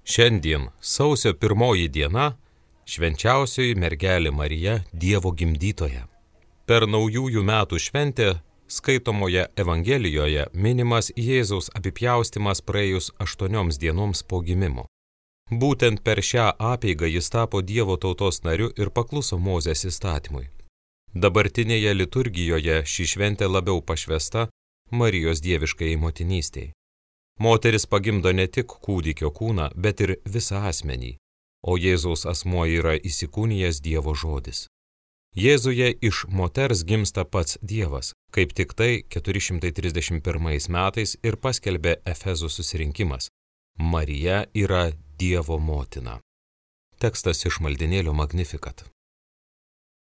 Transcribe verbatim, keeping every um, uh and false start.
Šiandien sausio pirmoji diena švenčiausioji mergelė Marija Dievo gimdytoja. Per naujųjų metų šventę skaitomoje Evangelijoje minimas Jėzaus apipjaustymas praėjus aštuonioms dienoms po gimimo. Būtent per šią apeigą jis tapo Dievo tautos nariu ir pakluso Mozės įstatymui. Dabartinėje liturgijoje ši šventė labiau pašvęsta Marijos dieviškai motinystei. Moteris pagimdo ne tik kūdikio kūną, bet ir visą asmenį, o Jėzaus asmuo yra įsikūnijęs Dievo žodis. Jėzuje iš moters gimsta pats Dievas, kaip tik tai keturi šimtai trisdešimt pirmais metais ir paskelbė Efezų susirinkimas. Marija yra Dievo motina. Tekstas iš maldinėlio Magnificat.